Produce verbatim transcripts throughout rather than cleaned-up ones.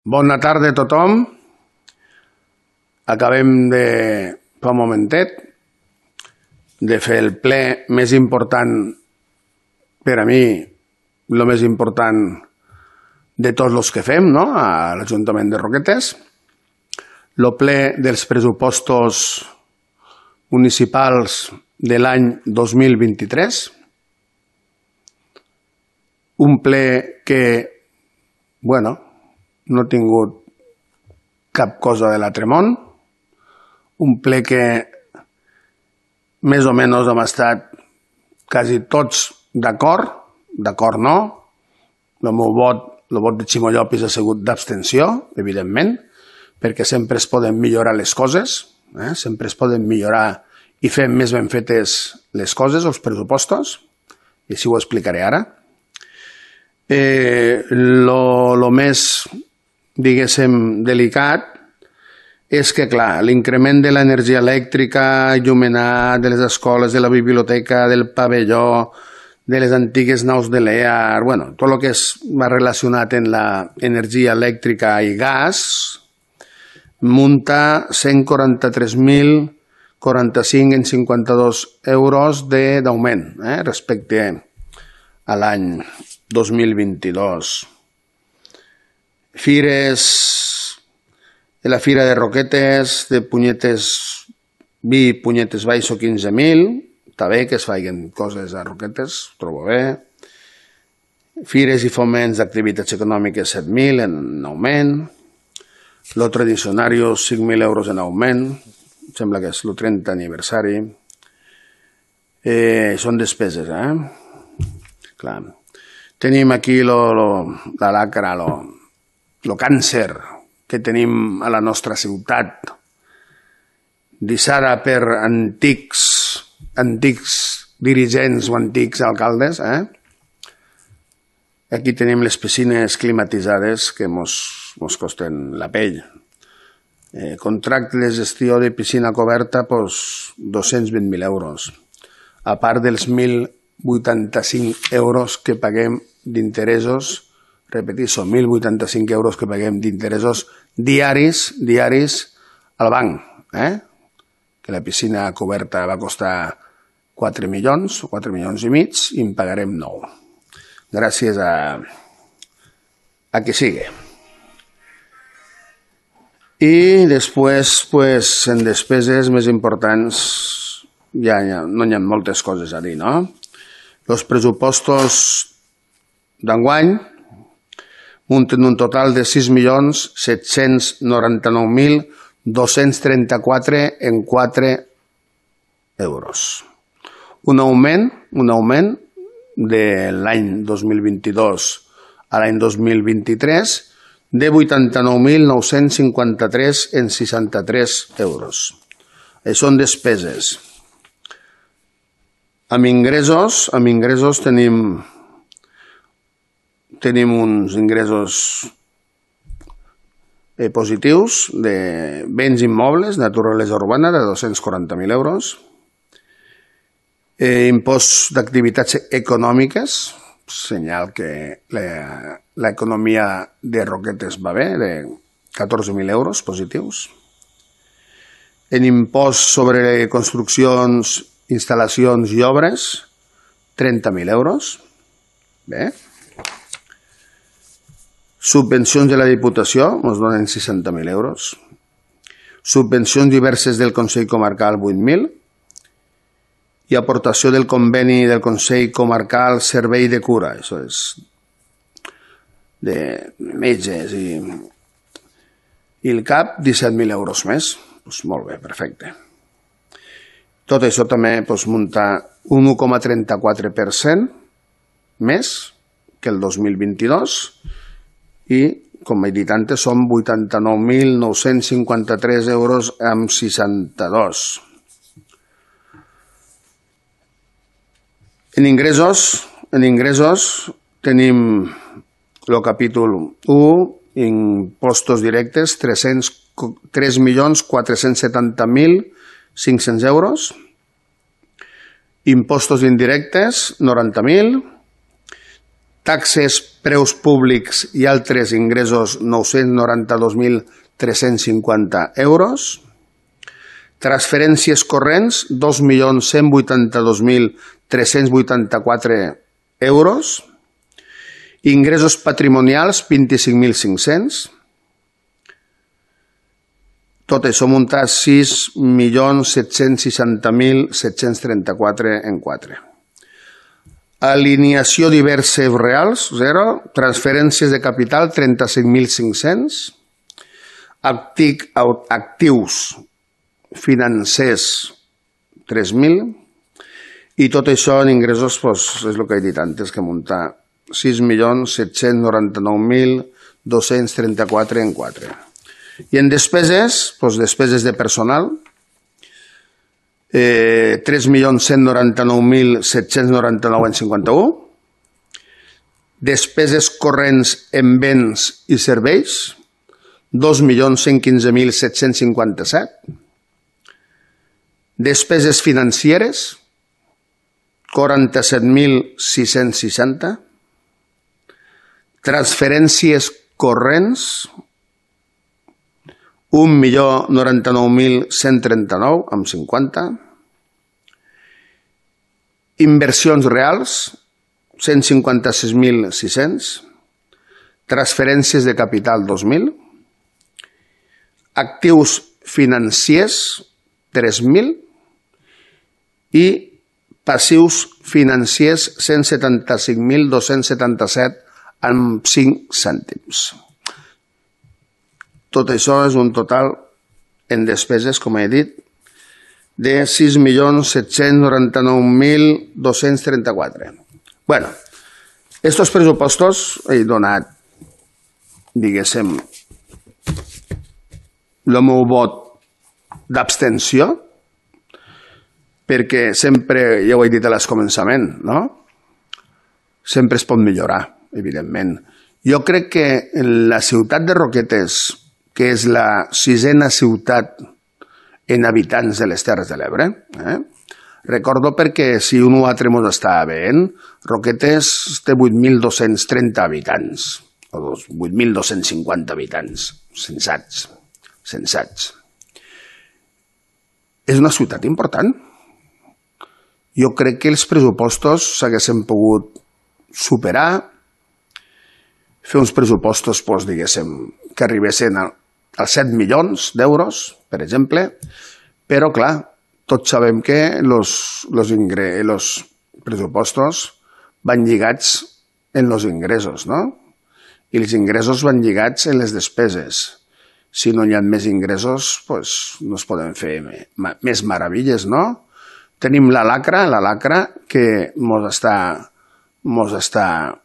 Bona tarda a tothom. Acabem de, fa un momentet, de fer el ple més important per a mi, el més important de tots els que fem, no?, a l'Ajuntament de Roquetes. El ple dels pressupostos municipals de l'any dos mil vint-i-tres. Un ple que, bueno, no ha tingut cap cosa de l'altre món. Un ple que més o menys hem estat quasi tots d'acord, d'acord no. El meu vot, el vot de Ximo Llopis ha sigut d'abstenció, evidentment, perquè sempre es poden millorar les coses, eh? sempre es poden millorar i fer més ben fetes les coses, els pressupostos, i així ho explicaré ara. Eh, lo, lo més, diguéssim, delicat és que, clar, l'increment de l'energia elèctrica, il·luminat, de les escoles, de la biblioteca, del pavelló, de les antigues naus de l'E A R, bueno, tot el que es va relacionat amb l'energia elèctrica i gas, munta cent quaranta-tres mil quaranta-cinc en cinquanta-dos euros d'augment eh, respecte a l'any dos mil vint-i-dos. Fires, de la Fira de Roquetes, de Punyetes Vi, Punyetes Baixo, quinze mil. Està bé que es facin coses a Roquetes, ho trobo bé. Fires i foments d'activitats econòmiques, set mil en augment. Lo tradicionario, cinc mil euros en augment. Sembla que és el trenta aniversari. Eh, són despeses, eh? Clar. Tenim aquí lo, lo, la lacra, lo, lo càncer que tenim a la nostra ciutat, deixada per antics, antics dirigents o antics alcaldes. Eh? Aquí tenim les piscines climatitzades que mos, mos costen la pell. Eh, contracte de gestió de piscina coberta, pues, dos-cents vint mil euros, a part dels mil vuitanta-cinc euros que paguem d'interessos, repetir, són mil vuitanta-cinc euros que paguem d'interessos diaris, diaris al banc, eh? Que la piscina coberta va costar quatre milions, quatre milions i mig, i en pagarem nou. Gràcies a, a que sigui. I després, pues, en despeses més importants, ja, ja no hi ha moltes coses a dir, no? Els pressupostos d'enguany munten un total de sis milions set-cents noranta-nou mil dos-cents trenta-quatre en quatre euros. Un augment, un augment de l'any dos mil vint-i-dos a l'any dos mil vint-i-tres de vuitanta-nou mil nou-cents cinquanta-tres en seixanta-tres euros. Això són despeses. Amb ingressos, amb ingressos tenim, tenim uns ingressos eh, positius de béns immobles, naturalesa urbana, de dos-cents quaranta mil euros. Eh, impost d'activitats econòmiques, senyal que l'economia de Roquetes va bé, de catorze mil euros positius. En impost sobre construccions, instal·lacions i obres, trenta mil euros. Bé. Subvencions de la Diputació, ens donen seixanta mil euros. Subvencions diverses del Consell Comarcal, vuit mil. I aportació del conveni del Consell Comarcal Servei de Cura, això és de metges i, i el C A P, disset mil euros més. Pues molt bé, perfecte. Tot això també pues, munta un un coma trenta-quatre per cent més que el dos mil vint-i-dos i, com he dit antes, són vuitanta-nou mil nou-cents cinquanta-tres euros amb seixanta-dos. En ingressos, en ingressos tenim el capítol u, impostos directes, tres milions quatre-cents setanta mil cinc-cents euros. Impostos indirectes, noranta mil. taxes, preus públics i altres ingressos nou-cents noranta-dos mil tres-cents cinquanta euros. Transferències corrents, dos milions cent vuitanta-dos mil tres-cents vuitanta-quatre euros. Ingressos patrimonials, vint-i-cinc mil cinc-cents. Tot això munta sis milions set-cents seixanta mil set-cents trenta-quatre en quatre. Alineació diverses reals, zero. Transferències de capital, trenta-cinc mil cinc-cents. Actius financers, tres mil. I tot això en ingressos, doncs, és el que he dit antes, que munta sis milions set-cents noranta-nou mil dos-cents trenta-quatre en quatre. I en despeses, doncs, despeses de personal, Eh, tres milions cent noranta-nou mil set-cents noranta-nou en cinquanta-u. Despeses corrents en béns i serveis, dos milions cent quinze mil set-cents cinquanta-set. Despeses financeres, quaranta-set mil sis-cents seixanta. Transferències corrents, un milió noranta-nou mil cent trenta-nou amb cinquanta. Inversions reals, cent cinquanta-sis mil sis-cents. Transferències de capital, dos mil. Actius financers, tres mil. I passius financers, cent setanta-cinc mil dos-cents setanta-set amb cinc cèntims. Tot això és un total en despeses, com he dit, de sis milions set-cents noranta-nou mil dos-cents trenta-quatre. Bueno, estos pressupostos he donat, diguéssim, el meu vot d'abstenció, perquè sempre, ja ho he dit a l'escomençament, no? Sempre es pot millorar, evidentment. Jo crec que en la ciutat de Roquetes, que és la sisena ciutat en habitants de les Terres de l'Ebre. Eh? Recordo perquè si un altre mos està veient, Roquetes té vuit mil dos-cents trenta habitants, o vuit mil dos-cents cinquanta habitants, sensats, sensats. És una ciutat important. Jo crec que els pressupostos s'haguessin pogut superar, fer uns pressupostos, doncs, diguéssim, que arribessin a als set milions d'euros, per exemple, però, clar, tots sabem que els pressupostos van lligats en els ingressos, no? I els ingressos van lligats en les despeses. Si no hi ha més ingressos, doncs no es poden fer més meravilles, no? Tenim la lacra, la lacra que mos està, mos està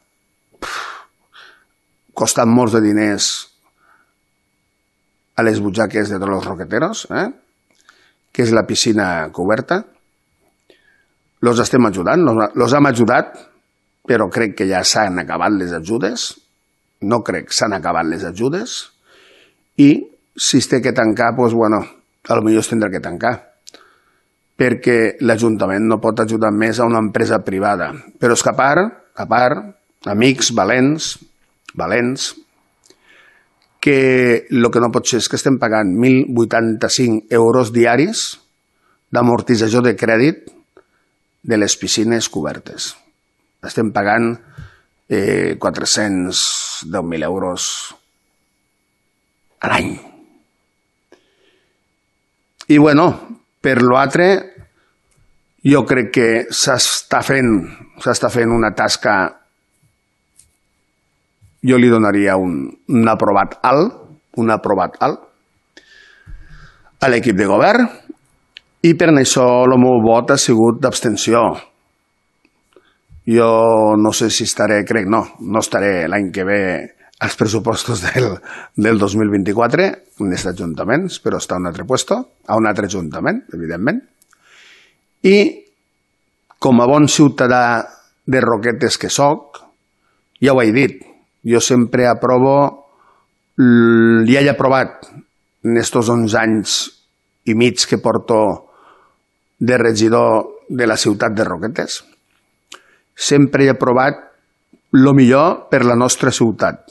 costant molts de diners a les butxaques de tots els roqueteros, eh? Que és la piscina coberta. Los estem ajudant, los hem ajudat, però crec que ja s'han acabat les ajudes. No crec que s'han acabat les ajudes. I si es té que tancar, doncs, bueno, potser es tindrà que tancar. Perquè l'Ajuntament no pot ajudar més a una empresa privada. Però és que a part, a part, amics valents, valents, que el que no pot ser és que estem pagant mil vuitanta-cinc euros diaris d'amortització de crèdit de les piscines cobertes. Estem pagant eh, quatre-cents deu mil euros a l'any. I, bueno, per l'altre, jo crec que s'està fent, s'està fent una tasca. Jo li donaria un, un aprovat alt, un aprovat alt a l'equip de govern i per això el meu vot ha sigut d'abstenció. Jo no sé si estaré, crec, no, no estaré l'any que ve als pressupostos del, del dos mil vint-i-quatre en aquest ajuntament, però està a un altre puesto, a un altre ajuntament, evidentment. I com a bon ciutadà de Roquetes que soc, ja ho he dit, jo sempre aprovo, ja he aprovat en aquests onze anys i mig que porto de regidor de la ciutat de Roquetes, sempre he aprovat el millor per la nostra ciutat.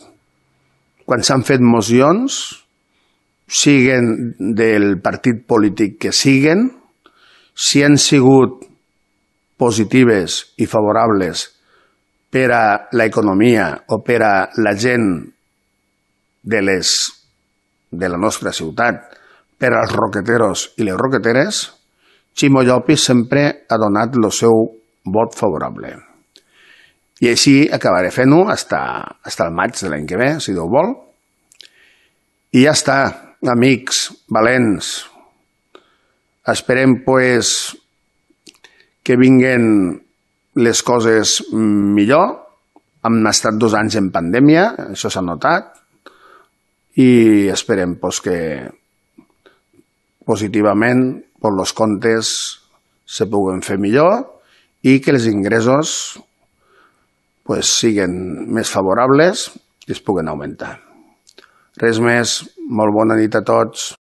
Quan s'han fet mocions, siguen del partit polític que siguen, si han sigut positives i favorables per a l'economia o per a la gent de, les, de la nostra ciutat, per als roqueteros i les roqueteres, Ximo Llopis sempre ha donat el seu vot favorable. I així acabaré fent-ho fins al maig de l'any que ve, si Déu vol. I ja està, amics valents. Esperem, pues, que vinguen les coses millor. Hem estat dos anys en pandèmia, això s'ha notat, i esperem pues, que positivament pues, els comptes se puguen fer millor i que els ingressos pues, siguin més favorables i es puguen augmentar. Res més, molt bona nit a tots.